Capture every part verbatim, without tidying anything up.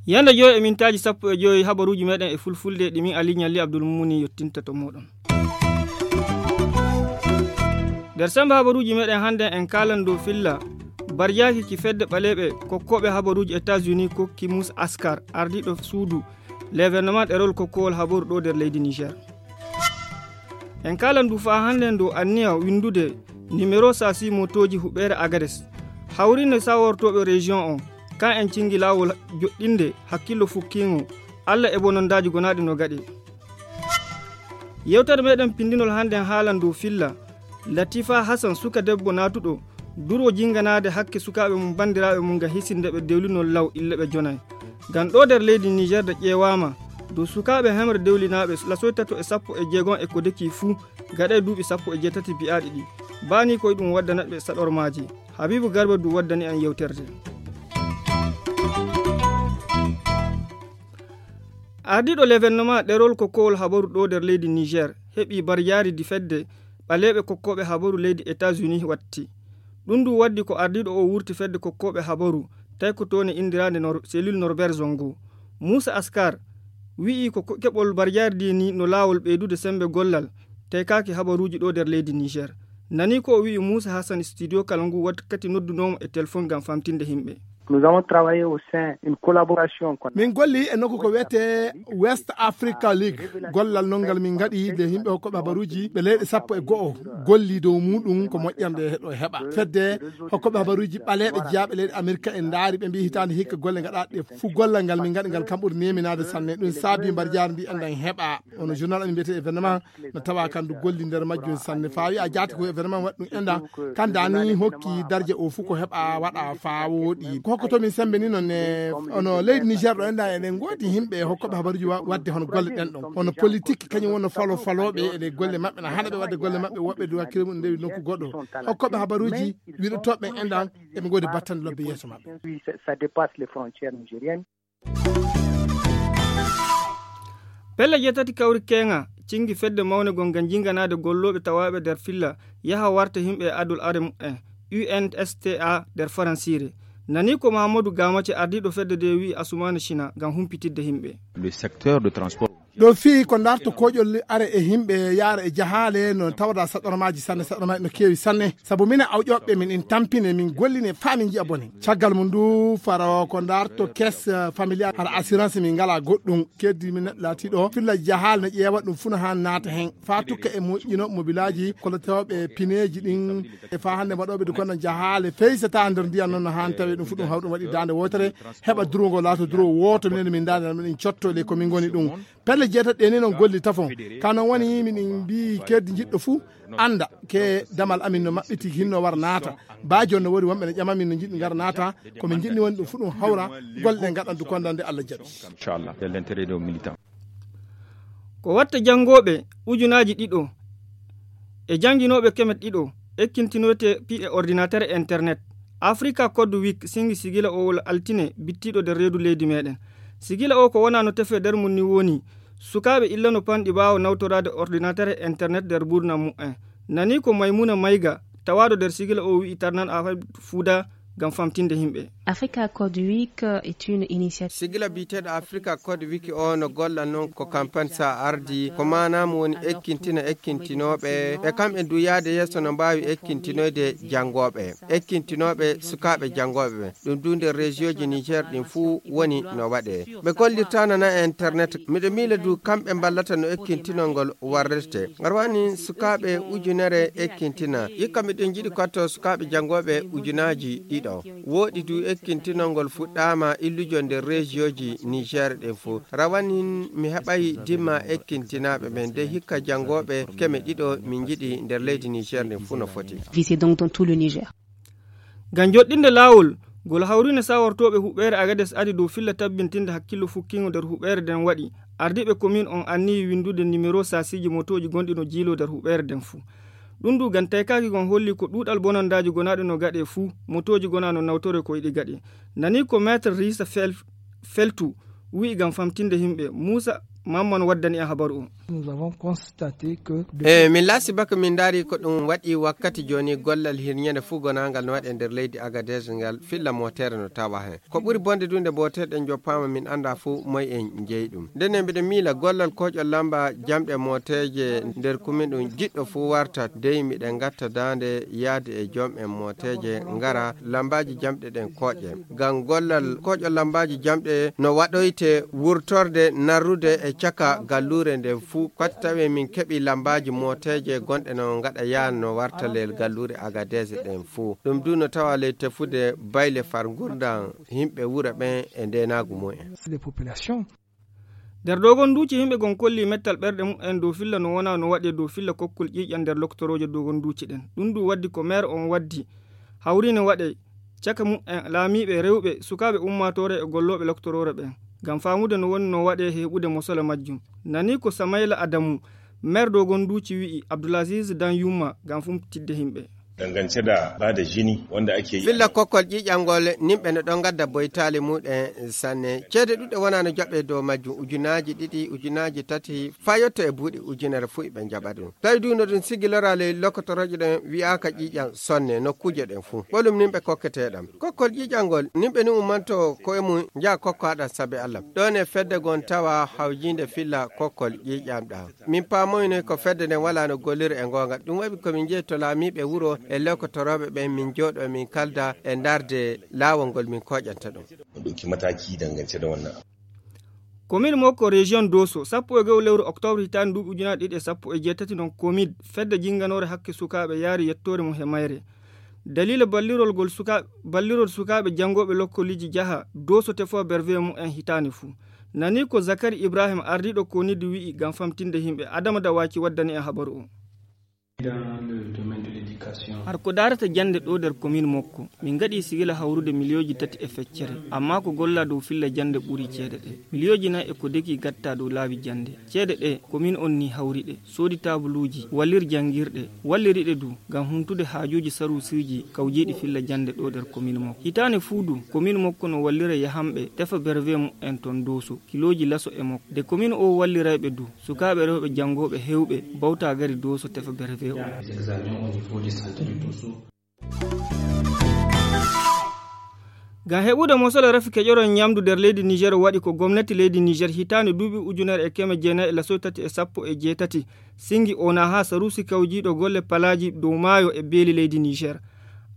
Yande joyi e mintaaji sappo e joyi, habaruuji meɗen e fulfulde ɗi min Ali Ɲalli Abdul Mumuni yottinta to moɗon. Nder sembe habaruuji meɗen hande en kaalan dow filla barjaaki ki fedde ɓaleeɓe kokkooɓe habaruuji États-Unis kokki Moussa Askar, ardiiɗo suudu l'événement ɗerol kokkowol habaru ɗo nder leydi Niger. En kaalan du faa hande dow anniya windude nimero sasi motooji huɓeere Agades. Hawrinde sawortooɓe région on, kan en cingi laawol joɗɗinde hakkillo fukkiingo Alla e bonondaaji gonaaɗi no gaɗe. Yewtere meɗen pindinol hande en haalan dow filla Latifa Hassan, suka debbo naatuɗo duro jinganaade hakke sukaaɓe mum, banndiraaɓe mum, nga hisinde ɓe dewlinol law ille ɓe jonay. Ngam ɗo nder leydi Niger de ƴeewaama dow sukaaɓe hemre dewlinaaɓe lasoy tato e sappo e jeegom e ko deki fuu gaɗa e duuɓi sappo e jeetati biyaaɗi ɗi. Baani ko e ɗum waddana ɓe saɗormaaji. Habibu Garba du waddani en yewterde. Ardiiɗo l'événement ɗerol kokkowol habaru ɗo nder leydi Niger heɓi barjaari di fedde ɓaleeɓe kokkooɓe habaru leydi États-Unis watti. Ɗum du waddi ko ardiiɗo o wurti fedde kokkooɓe habaru tawi ko toon e indiraande Nor-, cellule Norbert Zongo. Moussa Askar wi'i ko ko-, keɓol barjaari di ni no laawol ɓeydude sembe gollal taykaaki habaruuji ɗo nder leydi Niger. Nani ko o wi'i Moussa Hassan studio kala ngu wakkati noddunoomo e telefon ngam famtinde himɓe. Nous avons travaillé au sein une collaboration qu'on a Min golli e nokku ko wiyetee West Africa League. Gollal non ngal min ngaɗi nde yimɓe hokkooɓe habaruuji ɓe leyɗe sappo e go'o golli dow muɗum ko moƴƴande heɗo heɓa. Fedde hokkooɓe habaruuji ɓaleeɓe jeyaaɓe leyɗe Amerika en ndaari ɓe mbii hitaande hikka golle ngaɗaaɗe fuu gollal ngal min ngaɗi ngal kam ɓuri neeminaade sanne. Ɗum saabi mbar jaarndi enɗan heɓa. Ono journal amin mbiyetee événement no tawa kan du golli nder majjum sanne. Faa wi'a jaati ko événement waɗi ɗum enɗan kan daani hokki darje o fuu ko heɓa waɗa faa wooɗi. Ko hokkoto min sembe ni noon e ono leydi Niger ɗo enɗan eɗen ngoodi yimɓe hokkooɓe habaruuji wa-, waɗde hono golle ɗen ɗon. Hono politique kañum wonno falo falooɓe eɗe golle maɓɓe na hana ɓe waɗde golle maɓɓe woɓɓe du hakkille mum ndewi nokku goɗɗo. Hokkooɓe habaruuji wiɗotooɓe enɗan eɓe ngoodi battande lobbe yeeso maɓɓe. Ça dépasse les frontières nigériennes. Pelle jeetati kawri keeŋa cingi fedde mawne gon ngam jinganaade gollooɓe tawaaɓe nder filla yaha warta yimɓe e adol are mumen, U N S T A nder faransiire. Nani ko Mahamadou Gamace ardiiɗo fedde nde wi'i Assoumani China ngam humpitidde yimɓe. Le secteur de transport. Ɗo fii ko ndarto koƴol are e yimɓe yaara e jahaale no tawda saɗormaaji sanne, saɗormaaji no keewi sanne. Sabu minen awƴooɓe min en tampine, min golline faa min nji'a bone. Caggal mum du faro ko ndarto caisse familiale hara assurance min ngalaa goɗɗum. Keddi min neɗɗo laatiiɗo filla jahaale no ƴeewa ɗum fuu no haan naata heen. Faa tukka e moƴƴino mobilaaji kollatooɓe pineeji ɗin. E faa hannde waɗooɓe du kono jahaale feysataa nder ndiyam noon no haan tawi ɗum fuu ɗum hawɗum waɗi daande wootere. Heɓa duro ngo laato duro wooto minen min daande min cotto le ko min ngoni ɗum. Pelle jeetati ɗe ni noon golli tafon. Ka noon woni minen mbii keddi jiɗɗo fuu annda ke damal amin no maɓɓiti hinno war naata. Baa jooni no woodi wonɓe no ƴama min no njiɗi ngar naata. Ko min njiɗni woni ɗum fuu ɗum hawra golle ɗe ngaɗan du kondande Allah jaɓi. Inchallah, c'est l'intérêt des militants. Ko watta janngooɓe ujunaaji ɗiɗo e jannginooɓe keme ɗiɗo ekkintinoyte piɗe ordinateur e internet. Africa Code Week singi sigila o wol altine bittiiɗo nder reedu leydi meɗen. Sigila o ko wona no tefe nder mum ni woni sukaaɓe illano panɗi ɓaawo nawtoraade ordinateur e internet nder ɓurnam mumen. Nani ko Maymuna Mayga tawaaɗo nder sigila o wi'i tarnan affaire fuuda ngam famtinde yimɓe. Africa Code Week est une initiative. Sigila biyeteeɗo Africa Code Wiki o no golla noon ko campagne sa ardi, ko maanaam woni ekkintina ekkintinooɓe, e kamɓe du yaade yeeso no mbaawi ekkintinoyde janngooɓe, ekkintinooɓe sukaaɓe janngooɓe ɓe. Ɗum du nder région ji Niger ɗin fuu woni no waɗee. Ɓe gollirtaano na e internet. Miɗo miila du kamɓe mballata no ekkintinol ngol warrirte. Ngar wani sukaaɓe ujunere ekkintina. Ikka miɗen njiɗi kotto sukaaɓe janngooɓe ujunaaji ɗiɗo. Wooɗi du ekkintinol ngol fuɗɗaama illujo nder rejiyooji Niger ɗin fuu. Rawanin mi heɓay dimma ekkintinaaɓe ɓen de hikka janngooɓe keme ɗiɗo min njiɗi nder leydi Niger ndin fuu no foti. Visé donc dans tout le Niger. Ngam joɗɗinde laawol ngol hawrine sawortooɓe huɓeere Agades ari dow filla tabbintinde hakkillo fukkingo nder huɓeere nden waɗi, ardiiɓe komin on anniyi winndude nimero saasiiji motooji gonɗi no jiiloo nder huɓeere nden fuu. Ɗum du ngam taykaaki ngon holli ko ɗuuɗal bonandaaji gonaaɗi no gaɗee fuu, motooji gonaa no nawtoree ko iɗi gaɗee. Nani ko Maître Risa Fel-, Feltu wi'i ngam famtinde yimɓe. Muusa, Mamman waddani en habaru o. Nous avons constaté que e min laasi baka min ndaari ko ɗum waɗi wakkati jooni gollal hirñande fuu gonaangal no waɗe nder leydi Agadez ngal filla mootere no tawa heen. Ko ɓuri bonde du nde mootere ɗen joppaama min annda fuu moy en jeyi ɗum. Ndenne mbiɗa miila gollal kooƴol lamba jamɗe mooteeje nder kumin ɗum jiɗɗo fuu warta dey miɗen ngatta daande yaade e joom en mooteeje ngara lambaaji jamɗe ɗen kooƴe. Ngam gollal kooƴol lambaaji jamɗe no waɗoyte wurtorde narrude e caka galluure nden fuu. Kooti tawi min keɓi lambaaji mooteeje gonɗe no ngaɗa yaan no warta leel galluure Agadez ɗen fuu. Ɗum du no tawa ley tefude bayle far ngurndan yimɓe wuro ɓen e ndeenaagu mumen. Les populations. Nder dogon duuci yimɓe gon kolli mettal ɓerɗe mumen dow filla no wona no waɗe dow filla kokkol ƴiiƴan nder loktorooje dogon duuci ɗen. Ɗum du waddi ko meer on waddi hawri ne waɗe caka mumen laamiiɓe rewɓe sukaaɓe ummaatoore e gollooɓe loktoroore ɓen. Ngam faamude no woni no waɗe heɓude mosole majjum. Nani ko Samayla Adamu, meer dogon duuci wi'i Abdulaziz Dan Yumma ngam fumtidde yimɓe. Dangance da ba da jini wanda ake yi. Filla kokkol ƴiiƴangol nimɓe no ɗon gadda boytaali muɗen sanne. Ceede ɗuɗɗe wona no jaɓe dow majjum ujunaaji ɗiɗi, ujunaaji tati, faa yotto e buuɗi ujunere fuu iɓe jaɓa ɗum. Tawi du no ɗum sigilora ley lokotorooje ɗen wi'aaka ƴiiƴan sonne nokkuuje ɗen fuu. Ɓolum nimɓe kokkete ɗam. Kokkol ƴiiƴangol nimɓe ni ummanto ko e mum njaha kokko haɗa sabe Allah. Ɗon e fedde gon tawa hawjiinde filla kokkol ƴiiƴam ɗam. Min paamoynoy ko fedde nden walaa no gollira e ngoonga. Ɗum waɗi ko min njehi to laamiiɓe wuro e lokotorooɓe ɓen, min njooɗoo, min kalda e ndaarde laawol ngol min kooƴanta ɗum. Ɗum ɗokki mataaki dangance da wannan. Komin Mokko, region Doso, sappo e go'o lewru oktoobre hitaande nduuɓi ujunaaji ɗiɗi e sappo e jeetati non komin fedde jinnganoore hakke sukaaɓe yaari yettoore mum he mayre. Daliila ballirol ngol suka-, ballirol sukaaɓe janngooɓe lokkoliji jaha Doso tefoo bervee mumen hitaande fuu. Nani ko Zakari Ibrahim ardiiɗo konidi wi'i ngam famtinde yimɓe. Adama Dawaki waddani en habaru o. Dans le domaine de l'éducation. Har ko daarata jannde ɗo nder komin Mokko, min ngaɗi sigila hawrude miliyooji tati e feccere, amma ko golla dow filla jannde ɓuri ceede ɗe. Miliyooji nayi e ko deki gatta dow laabi jannde. Ceede ɗe, komin on ni hawri ɗe, soodi taabuluuji, wallir janngirɗe, walliri ɗe du ngam humtude haajuuji saruusiiji kawjiiɗi filla jannde ɗo nder komin Mokko. Hitaande fuu du, komin Mokko no wallira yahanɓe tefa bervee mumen ton Doso, kilooji laso e Mokko. De komin o wallirayɓe du, sukaaɓe rewɓe janngooɓe heewɓe bawta gari Doso tefa bervee o. Ngam heɓude mosole rafi keƴorol ñamdu nder leydi Niger waɗi ko gomnati leydi Niger hitaande duuɓi ujunere e keme jeenayi e lasoy tati e sappo e jeetati singi o naha saruusi kawjiiɗo golle palaaji dow maayo e beeli leydi Niger.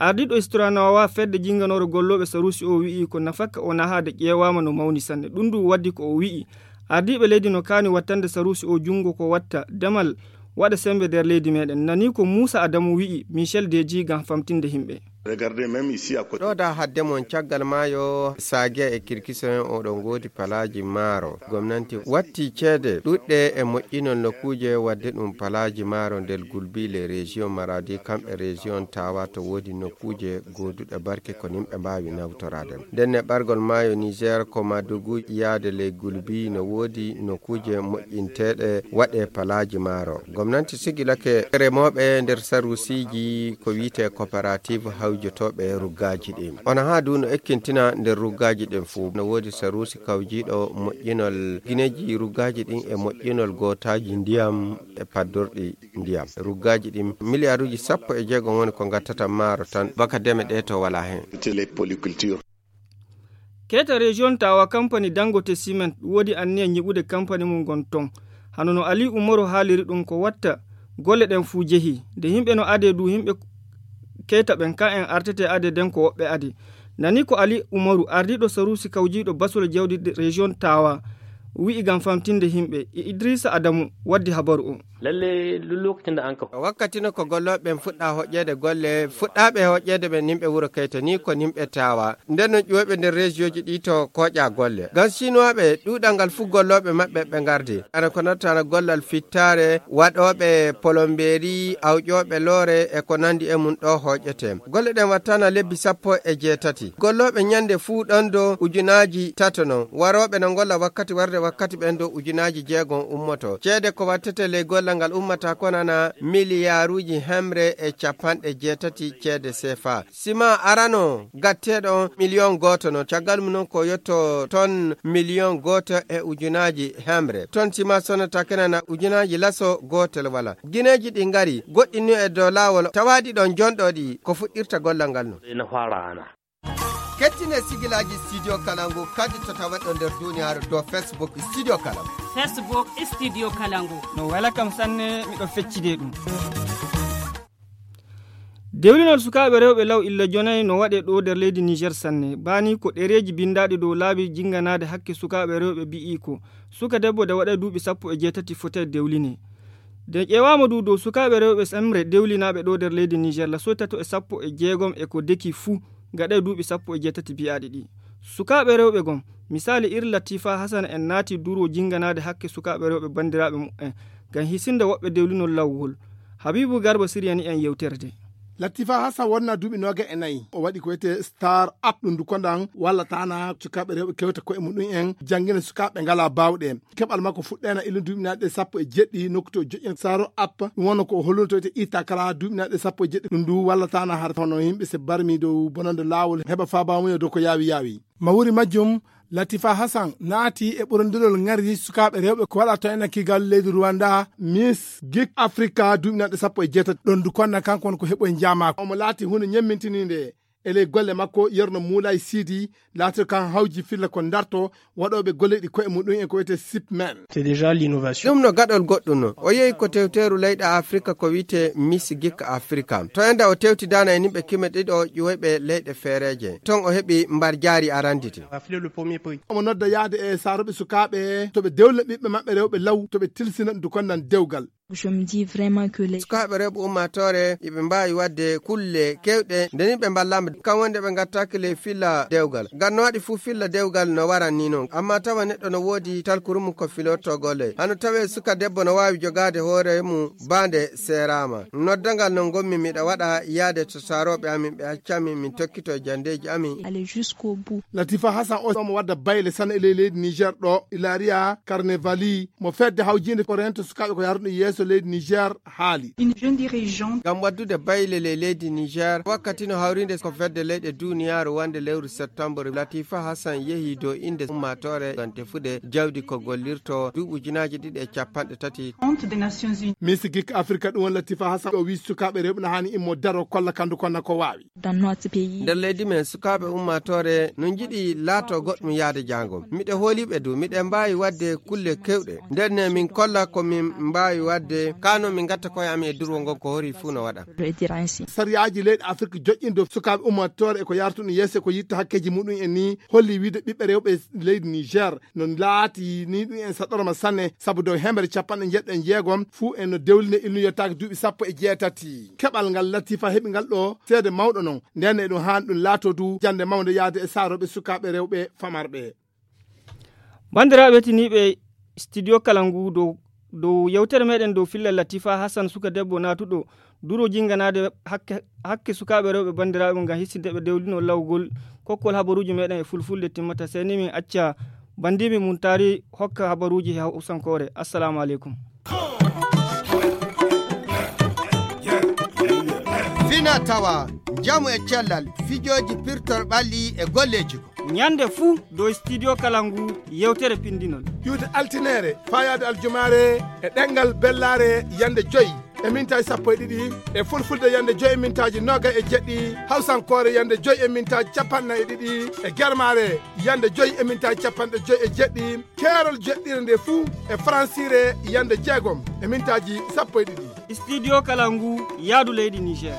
Ardiiɗo Isturanawa fedde jinnganoore gollooɓe saruusi o wi'i ko nafakka o naha de ƴeewaama no mawni sanne. Ɗum du waddi ko o wi'i ardiiɓe leydi no kaani wattande saruusi o junngo ko watta demal waɗa semmbe nder leydi meɗen. Nani ko Muusa Adamu wi'i Michel Deji ngam famtinde yimɓe. Regardez même ici à côté. Ɗo da hadde mon caggal maayo Sage e Kirkiso en oɗon ngoodi palaaji maaro. Gomnanti watti ceede ɗuɗɗe e moƴƴinol nokkuuje wadde ɗum palaaji maaro nder Gulbi les régions Maradi kam e région Tawa to woodi nokkuuje gooduɗe barke ko nimɓe mbaawi nawtoraade. Ndenne ɓargol maayo Niger ko Madugu yaade ley Gulbi no woodi nokkuuje moƴƴinteeɗe waɗe palaaji maaro. Gomnanti sigilake remooɓe nder saruusiiji ko wiyetee coopérative hawjotooɓe ruggaaji ɗin. Ona haa du no ekkintina nder ruggaaji ɗin fuu. No woodi saruusi kawjiiɗo moƴƴinol gineeji ruggaaji ɗin e moƴƴinol gootaaji ndiyam e paddorɗi ndiyam. Ruggaaji ɗin miliyaaruuji sappo e jeego woni ko ngattata maaro tan baka deme ɗe to walaa heen. Keeta région Tawa kampani Dangote Cement woodi anniya nyiɓude kampani mum ngon ton. Hano no Ali Umaru haaliri ɗum ko watta golle ɗen fuu jehi. Nde yimɓe no ade du yimɓe keeta ɓen ka en artete ade den ko woɓɓe ade. Nani ko Ali Umaru ardiiɗo saruusi kawjiiɗo basol jawdi région Tawa wi'i ngam famtinde yimɓe. E Idrissa Adamu waddi habaru o. Lalle duk lokacin da an ka wakkati no ko gollooɓe ɓen fuɗɗa hoƴƴeede golle fuɗɗaaɓe hoƴƴeede ɓen nimɓe wuro kayta ni ko nimɓe Tawa. Nden no ƴuwoɓe nder région ji ɗi to kooƴa golle ngam sinuwaaɓe ɗuuɗal ngal fuu gollooɓe maɓɓe ɓe ngardi ana ko nattana gollal fittaare waɗooɓe polombeeri awƴooɓe loore e ko nandi e mum ɗo hoƴƴete. Golle ɗen wattana lebbi sappo e jeetati gollooɓe ñande fuu ɗon do ujunaaji tato non warooɓe no ngolla wakkati warde wakkati ɓen do ujunaaji jeegom ummoto ceede ko wattete ley golle. Ngal ummata ko nana miliyaaruuji hemre e capanɗe jeetati ceede sefa. Sima arano gatteeɗo on miliyon gooto non. Caggal mum non ko yotto ton miliyon gooto e ujunaaji hemre. Ton sima sonata kenana ujunaaji laso gootel wala. Gineeji ɗi ngari, goɗɗi nu e dow laawol, tawaaɗi ɗon jonɗo ɗi, ko fuɗɗirta gollal ngal non. Ina fara ana. Kettine sigilaaji Studio Kalangu kadi to tawaɗo nder duniyaaru dow Facebook Studio Kalangu. Facebook Studio Kalangu. No wela kam sanne, miɗo feccide ɗum. Dewlinol sukaaɓe rewɓe law illa jonay no waɗe ɗo nder leydi Niger sanne. Bani ko ɗereeji bindaaɗi dow laabi jinganaade hakke sukaaɓe rewɓe bi'i ko suka debbo de waɗa duuɓi sappo e jeetati fotay dewline. De ƴeewaama du dow sukaaɓe rewɓe semre dewlinaaɓe ɗo nder leydi Niger la soy tato e sappo e jeegom e ko deki fuu gaɗay duuɓi sappo e jeetati biyaaɗi ɗi. Sukaaɓe rewɓe gom, misali iri Latifa Hasana en naati duro jinganaade hakke sukaaɓe rewɓe bandiraaɓe mu'en ngam hisinde woɓɓe dewlinol lawgol. Habibu Garba siriyani en yewtere de. Latifa Hassan wonna duuɓi nooga e nayi. O waɗi ko wiyetee star app ɗum dukondan walla tana sukaaɓe rewɓe kewta koye muɗum en janngina sukaaɓe ngala baawɗe. Keɓal makko fuɗɗeena ilin duuɓinaaɗe sappo e jeɗɗi nokku to joƴƴen saro app. Ɗum wonno ko o holluno to wiyetee ita kala duuɓinaaɗe sappo e jeɗɗi. Ɗum ndu walla tana har hono yimɓe se barmi dow bonande laawol heɓa faabamuya dow ko yaawi yaawi. Mawuri majjum, Latifa Hassan naati e ɓurondirol ŋari sukaaɓe rewɓe ko waɗa to ena kigal leydi Rwanda, Miss Geek Africa duuɓinaaɗe sappo e jeetati. Ɗon du konna kanko won ko heɓoy njaamaako. Omo laati huunde ñemmintininde e ley golle makko, yerno Moulay Sidi, laatiro kan hawji filla ko darto waɗooɓe golle ɗi koye muɗum en ko wiyetee sipmen. C'est déjà l'innovation. Ɗum no gaɗol goɗɗum non. O yehi ko tewteeru leyɗe Afrika ko wiyetee Miss Geek Africa. To enda o tewtidaana e nimɓe kime ɗiɗo ƴuwoyɓe leyɗe feereeje. Ton o heɓi mbar jaari aranditi. Omo nodda yaade e saaroɓe sukaaɓe to ɓe dewlina ɓiɓɓe maɓɓe rewɓe law to ɓe tilsina ɗum ko nan dewgal. Je me dis vraiment que les sukaaɓe rewɓe ummaatoore iɓe mbaawi waɗde kulle kewɗe nde ni ɓe mballaama kam wonde ɓe ngattaaki ley filla dewgal. Ngam no waɗi fuu filla dewgal no waran ni non. Amma tawa neɗɗo no woodi talkuru mum ko filotoo golle. Hano tawee suka debbo no waawi jogaade hoore mum baande seeraama. Noddangal no ngonmi miɗa waɗa yaade to saarooɓe amin ɓe accami min tokkito e janndeeji amin. Aller jusqu'au bout. Latifa Hassan o omo wadda bayle sana e ley leydi Niger ɗo Ilaria Carnevali mo fedde hawjiinde ko rento sukaaɓe ko yarduɗo yeeso leydi Niger haali. Une jeune dirigeante. Ngam waddude bayle ley leydi Niger wakkati no hawrinde ko fedde leyɗe duniyaaru wonde lewru septembre Latifa Hassan yehi dow innde ummaatoore ngam tefude jawdi ko gollirto duuɓi ujunaaji ɗiɗi e capanɗe tati. Honte des Nations Unies. Miss Geek Africa ɗum won Latifa Hassan o wii sukaaɓe rewɓe no haani immo daro kolla kandu konna ko waawi. Dans notre pays. Nder leydi men sukaaɓe ummaatoore no njiɗi laato goɗɗum yaade jaango. Miɗe hooliɓe du miɗe mbaawi waɗde kulle kewɗe. Nden ne min kolla ko min mbaawi waɗde kano min ngatta koye amin e durwo ngon ko hori fuu no waɗa. Je vais dire ainsi. Sariyaaji leyɗe Afrik joƴƴindo sukaaɓe ummaatoore e ko yartuɗum yeeso e ko yitta hakkeeji muɗum en ni holli wiide ɓiɓɓe rewɓe leydi Niger no laati ni ɗum en saɗorma sanne sabu dow hemere capanɗe jeeɗiɗo e jeegom fuu en no dewline ilnu yottaaki duuɓi sappo e jeetati. Keɓal ngal Latifa heɓi ngal ɗo seede mawɗo non. Nden e ɗum haan ɗum laato du jannde mawnde yahde e saarooɓe sukaaɓe rewɓe famarɓe. Banndiraaɓe tiniiɓe studio kala ngu dow, dow yewtere meɗen dow filla Latifa Hassan suka debbo naatuɗo duro jinganaade hakke, hakke sukaaɓe rewɓe banndiraaɓe ngam hissinde ɓe dewlino lawgol kokkol habaruuji meɗen e fulfulde timmata. Sey ni min acca banndiimi mum taari hokka habaruuji he hawsankoore. Assalamu aleykum. Fina tawa, njamu e cellal, fijooji pirtor ɓalli e golleeji ko. Ñande fuu dow studio kala ngu yewtere pindinol. Iwde altineere, faayaade aljumaare e ɗemngal bellaare yande joy e mintaaji sappo e ɗiɗi, e fulfulde yande joy e mintaaji noogay e jeɗɗi, hawsankoore yande joy e mintaaji capanɗe nayi e ɗiɗi, e germaare yande joy e mintaaji capanɗe joy e jeɗɗi, keerol jeɗɗire nde fuu e faransiire yande jeegom e mintaaji sappo e ɗiɗi. Studio kala ngu yaadu leydi Niger.